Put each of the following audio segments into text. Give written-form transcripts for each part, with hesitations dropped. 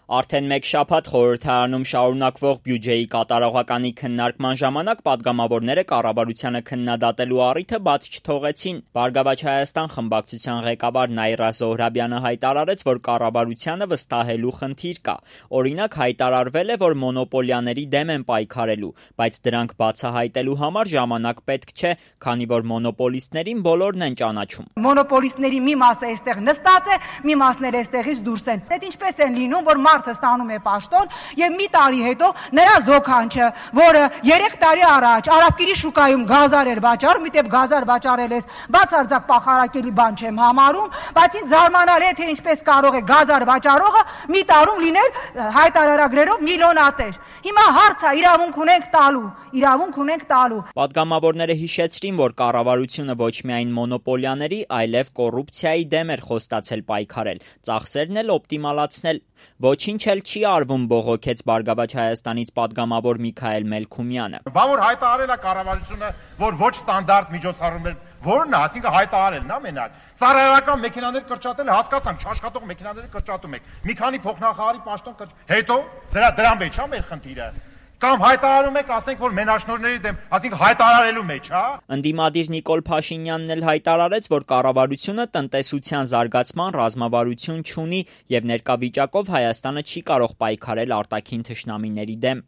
Արդեն մեկ շաբաթ խորհրդարանում շարունակվող բյուջեի կատարողականի քննարկման ժամանակ պատգամավորները կառավարությանը քննադատելու առիթը բաց չթողեցին։ «Բարգավաճ Հայաստան» խմբակցության ղեկավար Նաիրա Զոհրաբյանը հայտարարեց, որ կառավարությանը վստահելու խնդիր կա։ Օրինակ, հայտարարվել է, որ մոնոպոլիաների դեմ են պայքարելու, բայց դրանք բացահայտելու համար ժամանակ պետք չէ, քանի որ մոնոպոլիստներին բոլորն են ճանաչում։ Մոնոպոլիստների մի մասը այստեղ նստած է, մի մասները այստեղից դուրս են։ Այդ ինչպես են լինում, որ մարդը ստանում է պաշտոն եւ մի տարի հետո նրա զոքանչը, որը 3 տարի առաջ Արաբկիրի շուկայում գազար էր վաճառում, միտեղ գազար վաճառել ես, բացարձակ պախարակելի բան չեմ համարում, բայց ինձ զարմանալի է, թե ինչպես կարող է գազար վաճառողը մի տարում լինել հայտարարագրերով միլիոնատեր։ Հիմա հարցը իրավունք ունենք տալու։ Պատգամավորները հիշեցրին, որ կառավարությունը ոչ միայն մոնոպոլիաների, այլև կոռուպցիայի դեմ էր խոստացել պայքարել, ծախսերն էլ օպտիմալացնել։ Ոչինչ էլ չի արվում, բողոքեց Բարգավաճ Հայաստանից պատգամավոր Միքայել Մելքումյանը։ Բա որ հայտարարել է կառավարությունը, որ ոչ ստանդարտ միջոցառումներ, որն է, ասինքն հայտարարելն է մենակ։ Ծառայական մեքենաներ կրճատել, հասկացանք, աշխատող մեքենաները կրճատում եք։ Մի քանի փոխնախարարի պաշտոն հետո դրան մեջ է մեր խնդիրը։ Կամ հայտարարում եք, ասենք, որ մենաշնորհների դեմ, ասենք հայտարարելու մեջ, հա։ Ընդդիմադիր Նիկոլ Փաշինյանն էլ հայտարարեց, որ կառավարությունը տնտեսության զարգացման ռազմավարություն չունի եւ ներկա վիճակով Հայաստանը չի կարող պայքարել արտաքին թշնամիների դեմ։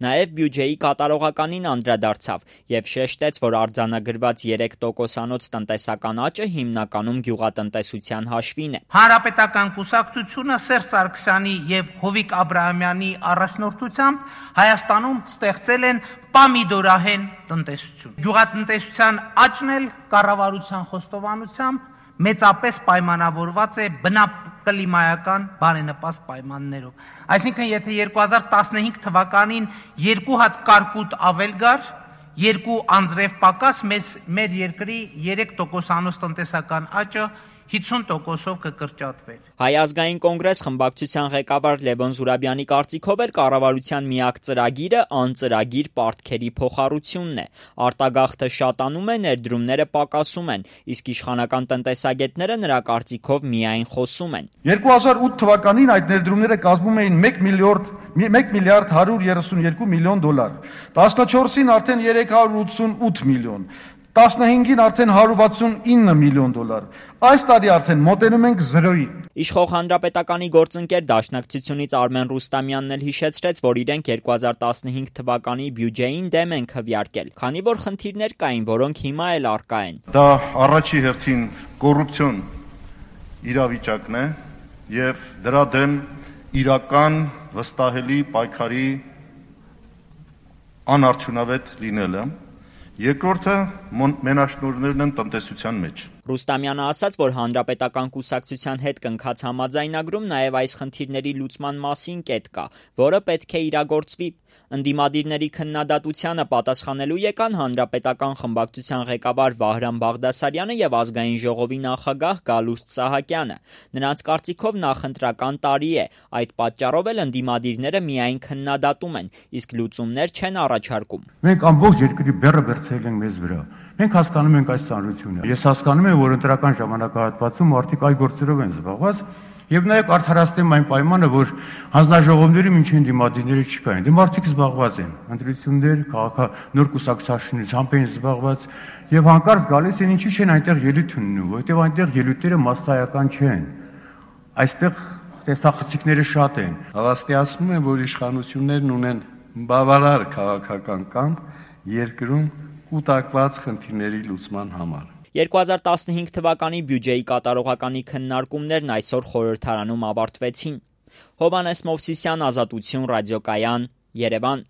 Նաև բյուջեի կատարողականին անդրադարձավ եւ շեշտեց, որ արձանագրված 3%-անոց տնտեսական աճը հիմնականում գյուղատնտեսության հաշվին է։ Հանրապետական կուսակցությունը Սերժ Սարգսյանի եւ Հովիկ Աբրահամյանի առաջնորդությամբ Հայաստանում ստեղծել են պամիդորահեն տնտեսություն։ Գյուղատնտեսության աճն էլ կառավարության խոստովանությամբ մեծապես պայմանավորված է բնակլիմայական բարենպաստ պայմաններով։ Այսինքն, եթե 2015 թվականին 2 հատ կարկուտ ավել գար, 2 անձրև պակաս, մեր երկրի 3%-անոց տնտեսական աճը 50%-ով կկրճատվեր։ Հայ ազգային կոնգրես խմբակցության ղեկավար Լևոն Զուրաբյանի կարծիքով էլ կառավարության միակ ծրագիրը անծրագիր պարտքերի փոխառությունն է։ Արտագաղթը շատանում է, ներդրումները պակասում են, իսկ իշխանական տնտեսագետները նրա կարծիքով միայն խոսում են։ 2008 թվականին այդ ներդրումները կազմում էին 1 միլիարդ 132 միլիոն դոլար, 14-ին արդեն 388 միլիոն, 15-ին արդեն 169 միլիոն դոլար, այս տարի արդեն մոտենում ենք 0-ի։ Իշխող Հանրապետականի գործընկեր Դաշնակցությունից Արմեն Ռուստամյանն էլ հիշեցրեց, որ իրենք 2015 թվականի բյուջեին դեմ են քվեարկել, քանի որ խնդիրներ կային, որոնք հիմա էլ առկա են։ Դա առաջի հերթին կոռուպցիոն իրավիճակն է եւ դրա դեմ իրական վստահելի պայքարի անարդյունավետ լինելը։ Երկրորդը մենաշնորհներն են տնտեսության մեջ։ Ռուստամյանը ասաց, որ հանրապետական կուսակցության հետ կնքած համաձայնագրում նաև այս խնդիրների լուծման մասին կետ կա, որը պետք է իրագործվի։ Ընդդիմադիրների քննադատությանը պատասխանելու եկան հանրապետական խմբակցության ղեկավար Վահրամ Բաղդասարյանը եւ ազգային ժողովի նախագահ Գալուստ Սահակյանը։ Նրանց կարծիքով նախընտրական տարի է, այդ պատճառով էլ ընդդիմադիրները միայն քննադատում են, իսկ լուծումներ չեն առաջարկում։ Մենք ամբողջ երկրի բեռը բերցրել ենք մեզ վրա։ Մենք հասկանում ենք այս ծանրությունը։ Ես հասկանում եմ, որ ընտրական ժամանակահատվածում մարդիկ այլ գործերով են զբաղված։ Եվ նաև արդարացնեմ այն պայմանը, որ հանձնաժողովների մինչև դիմադիրները չկային։ Դե մարդիկ զբաղված են, ընտրություններ, նոր կուսակցությունից են զբաղված եւ հանկարծ գալիս են, ինչի չեն այնտեղ ելույթ ունենում, որովհետեւ այնտեղ ելույթները մասսայական չեն։ Այստեղ տեսախցիկները շատ են։ Հավաստիացնում եմ, որ իշխանություններն ունեն բավարար քաղաքական կամք երկրում կուտակված խնդիրների լուծման համար։ 2015 թվականի բյուջեի կատարողականի քննարկումներն այսօր խորհրդարանում ավարտվեցին։ Հովհաննես Մովսիսյան, Ազատություն, Ռադիոկայան, Երևան։